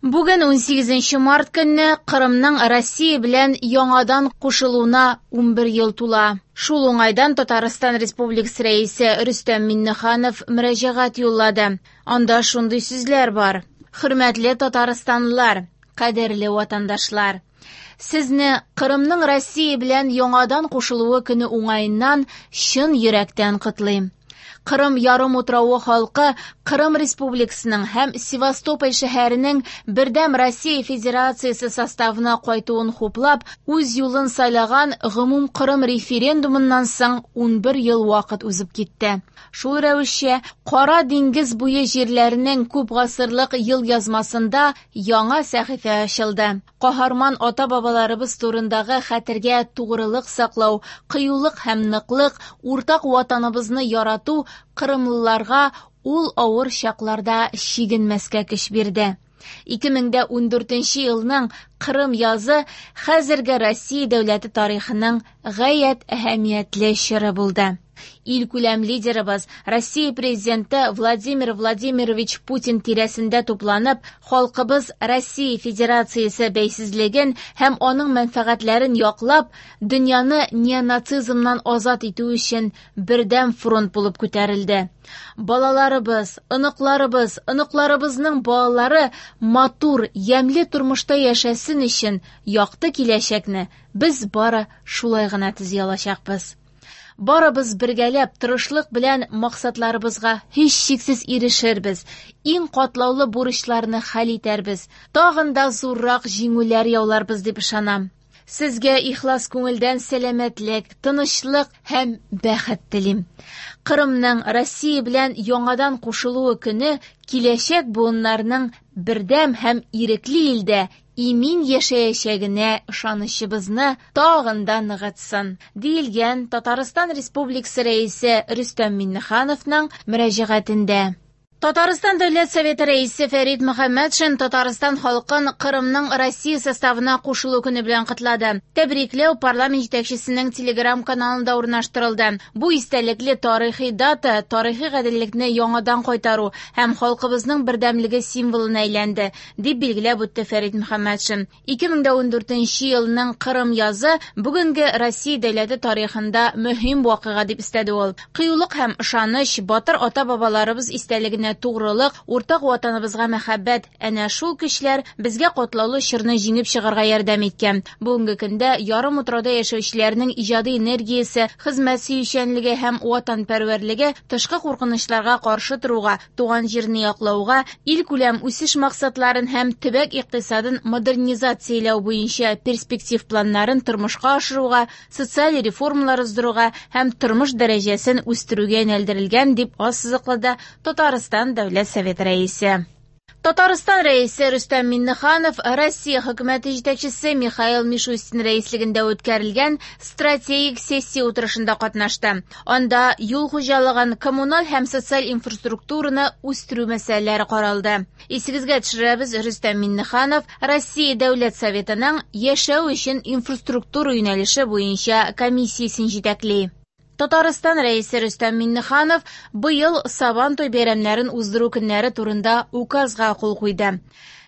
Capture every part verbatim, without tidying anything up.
Бүген унсигезенче март көнне Кырымның Россия белән яңадан кушылуына унбер ел тула. Шул уңайдан Татарстан Республикасы Рәисе Рөстәм Миңнеханов мөрәҗәгать юллады. Анда шундый сүзләр бар: Хөрмәтле татарстанлылар, кадерле ватандашлар! Сезне Кырымның Россия белән яңадан кушылуы көне уңаеннан чын йөрәктән котлыйм. Кырым ярымутравы халкы Кырым Республикасының һәм Севастополь шәһәренең Бердәм Россия Федерациясе составына кайтуын хуплап, үз юлын сайлаган гомумкырым референдумыннан соң унбер ел вакыт узып китте. Шул рәвешчә, Кара диңгез буе җирләренең күп гасырлык ел язмасында яңа сәхифә ачылды. Каһарман ата-бабаларыбыз турындагы хәтергә тугрылык саклау, кыюлык һәм ныклык, уртак ватаныбызны ярату кырымлыларга ул авыр чакларда чигенмәскә көч бирде. Ике мең дә ундүртенче елның Кырым язы хәзерге Россия дәүләте тарихының гаять әһәмиятле чоры булды. Илкүләм лидерыбыз Россия президенты Владимир Владимирович Путин тирәсендә тупланып, халкыбыз Россия Федерациясе бәйсезлеген һәм аның мәнфәгатьләрен яклап, дөньяны неонацизмнан азат итү өчен бердәм фронт булып күтәрелде. Балаларыбыз, оныкларыбыз, оныкларыбызның балалары матур, ямьле тормышта яшәсен өчен якты киләчәкне без бары шулай гына төзи алачакбыз. Барыбыз бергәләп тырышлык белән максатларыбызга һичшиксез ирешербез, иң катлаулы бурычларны хәл итәрбез, тагын да зуррак җиңүләр яуларбыз дип ышанам. Сезгә ихлас күңелдән сәламәтлек, тынычлык һәм бәхет телим. Кырымның Россия белән яңадан кушылуы көне киләчәк буыннарның бердәм һәм ирекле илдә имин яшәячәгенә ышанычыбызны тагын да ныгытсын, диелгән Татарстан Республикасы Рәисе Рөстәм Миңнехановның мөрәҗәгатендә. Татарстан Дәүләт Советы Рәисе Фәрит Мөхәммәтшин Татарстан халкын Кырымның Россия составына кушылу көне белән котлады. Тәбрикләү парламент җитәкчесенең Телеграм-каналында урнаштырылды. Бу истәлекле тарихи дата тарихи гаделлекне яңадан кайтару һәм халкыбызның бердәмлеге символына әйләнде, дип билгеләп үтте Фәрит Мөхәммәтшин. Ике мең дә ундүртенче елның Кырым язы бүгенге Россия дәүләте тарихында мөһим вакыйга дип өстәде ул. Кыюлык һәм ышаныч, батыр ата-бабаларыбыз истәлегенә тугрылык, уртак ватаныбызга мәхәббәт, әнә шул көчләр безгә катлаулы чорны җиңеп чыгарга ярдәм иткән. Бүгенге көндә ярымутрауда яшәүчеләрнең иҗади энергиясе, хезмәт сөючәнлеге һәм ватанпәрвәрлеге тышкы куркынычларга каршы торуга, туган җирне яклауга, илкүләм үсеш максатларын һәм төбәк икътисадын модернизацияләү буенча перспектив планнарын тормышка ашыруга, социаль реформалар уздыруга һәм тормыш дәрәҗәсен үстерүгә юнәлдерелгән, дип ассызыклады Татарстан Дәүләт Советы Рәисе. Татарстан Рәисе Рөстәм Миңнеханов Россия хөкүмәте җитәкчесе Михаил Мишустин рәислегендә үткәрелгән стратегик сессия утырышында катнашты. Анда юл хуҗалыгын, коммуналь һәм социаль инфраструктураны үстерү мәсьәләләре каралды. Исегезгә төшерәбез, Рөстәм Миңнеханов Россия Дәүләт Советының яшәү өчен инфраструктура юнәлеше буенча комиссиясен җитәкли. Татарстан Рәисе Рөстәм Миңнеханов быел Сабантуй бәйрәмнәрен уздыру көннәре турында указга кул куйды.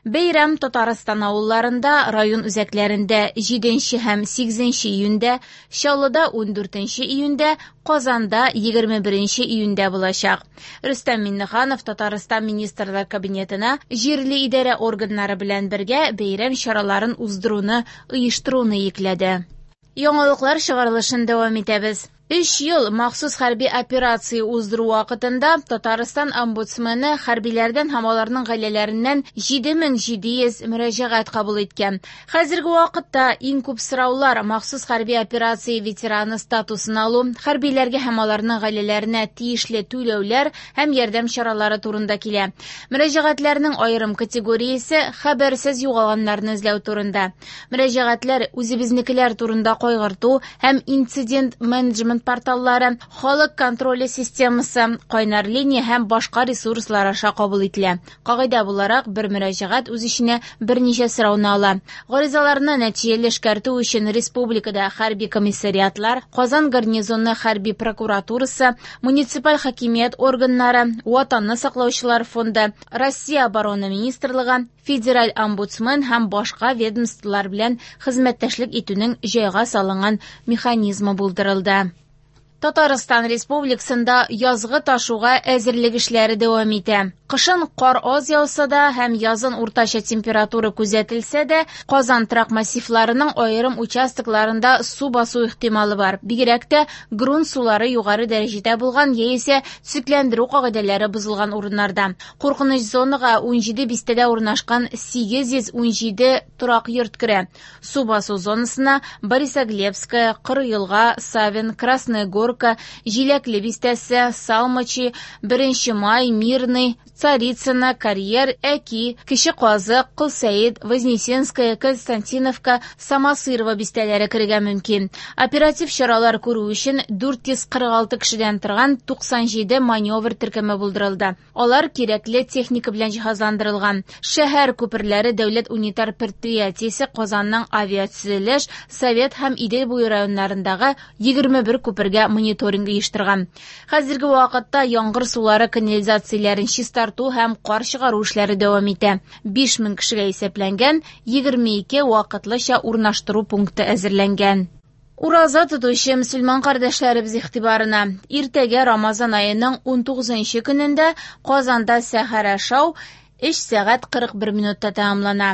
Бәйрәм Татарстан авылларында, район үзәкләрендә җиденче һәм сигезенче июньдә, Чаллыда ундүртенче июньдә, Казанда егерме беренче июньдә булачак. Рөстәм Миңнеханов Татарстан Министрлар Кабинетына җирле идарә органнары белән бергә бәйрәм чараларын уздыруны оештыруны йөкләде. Яңалыклар чыгарылышын дәвам итәбез. Өч ел махсус хәрби операция уздыру вакытында Татарстан омбудсмены хәрбиләрдән һәм аларның гаиләләреннән җиде мең җиде йөз мөрәҗәгать кабул иткән. Хәзерге вакытта иң күп сораулар махсус хәрби операция ветераны статусын алу, хәрбиләргә һәм аларның гаиләләренә тиешле түләүләр һәм ярдәм чаралары турында килә. Мөрәҗәгатьләрнең аерым категориясе хәбәрсез югалганнарны эзләү турында. Мөрәҗәгатьләр үзебезнекеләр турында кайгырту һәм инцидент менеджмент документ порталлары, халык контроле системасы, кайнар линия һәм башка ресурслар аша кабул ителә. Кагыйдә буларак, бер мөрәҗәгать үз эченә берничә сорауны ала. Гаризаларны нәтиҗәле эшкәртү өчен республикада хәрби комиссариатлар, Казан гарнизоны хәрби прокуратурасы, муниципаль хакимият органнары, Ватанны саклаучылар фонды, Россия оборона министрлыгы, федераль омбудсмен һәм башка ведомстволар белән хезмәттәшлек итүнең җайга салынган механизмы булдырылды. Татарстан Республикасында язгы ташуга әзерлек эшләре дәвам итә. Кышын кар аз яуса да һәм язын уртача температура күзәтелсә дә, Казан торак массивларының аерым участокларында су басу ихтималы бар. Бигрәк тә грунт сулары югары дәрәҗәдә булган яисә төзекләндерү кагыйдәләре бозылган урыннарда. Куркыныч зонага ун җиде бистәдә урнашкан сигез йөз ун җиде торак йорт керә. Су басу зонасына Борисоглебская, Кырыелга, Савин, Красная Горка, Җиләкле бистәсе, Салмачи, Беренче Май, Мирный, Царицына, Карьер, Әки, Кече Казык, Кылсәет, Вознесенская, Константиновка, Самосырова бистәләре керергә мөмкин. Оператив чаралар күрү өчен дүрт йөз кырык алты кешедән торган туксан җиде маневр төркеме булдырылды. Алар кирәкле техника белән җиһазландырылган. Шәһәр күперләре дәүләт унитар предприятиесе Казанның авиатөзелеш, Совет һәм Идел буе районнарындагы егерме бер күпергә мониторинг оештырган. Хәзерге вакытта яңгыр сулары канализацияләрен чистарту һәм кар чыгару эшләре дәвам итә. Биш мең кешегә исәпләнгән егерме ике вакытлыча урнаштыру пункты әзерләнгән. Ураза тотучы мөселман кардәшләребез игътибарына. Иртәгә Рамазан аеның ун тугызынчы көнендә Казанда сәхәр ашау өч сәгать кырык бер минутта тәмамлана.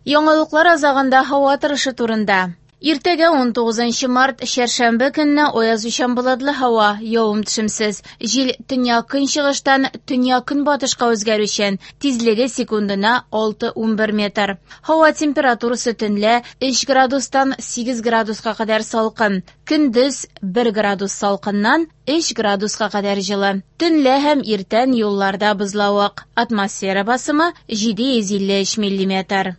Яңалыклар азагында һава торышы турында. Иртәгә ун тугызынчы март чәршәмбе көнне аязучан болытлы һава, явым-төшемсез. Җил төньяк-көнчыгыштан төньяк-көнбатышка үзгәрүчән, тизлеге секундына алты унбер метр. Һава температурасы төнлә өч градустан сигез градуска кадәр салкын, көндез бер градус салкыннан өч градуска кадәр җылы. Төнлә һәм иртән юлларда бозлавык. Атмосфера басымы җиде йөз илле өч миллиметр.